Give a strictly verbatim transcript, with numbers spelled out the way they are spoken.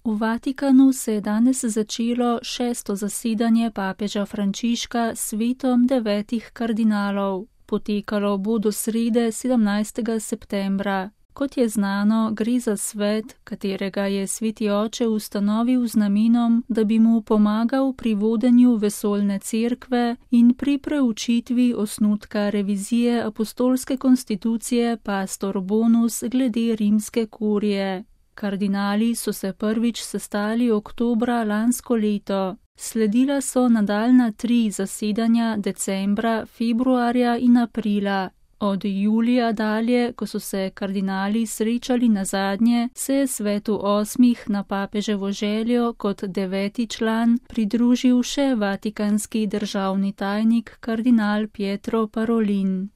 V Vatikanu se je danes začelo šesto zasedanje papeža Frančiška s svetom devetih kardinalov. Potekalo bo do srede sedemnajstega septembra. Kot je znano, gre za svet, katerega je sveti oče ustanovil z namenom, da bi mu pomagal pri vodenju vesoljne cerkve in pri preučitvi osnutka revizije apostolske konstitucije Pastor Bonus glede rimske kurije. Kardinali so se prvič sestali oktobra lansko leto. Sledila so nadaljnja tri zasedanja decembra, februarja in aprila. Od julija dalje, ko so se kardinali srečali nazadnje, se je svetu osmih na papeževo željo kot deveti član pridružil še vatikanski državni tajnik kardinal Pietro Parolin.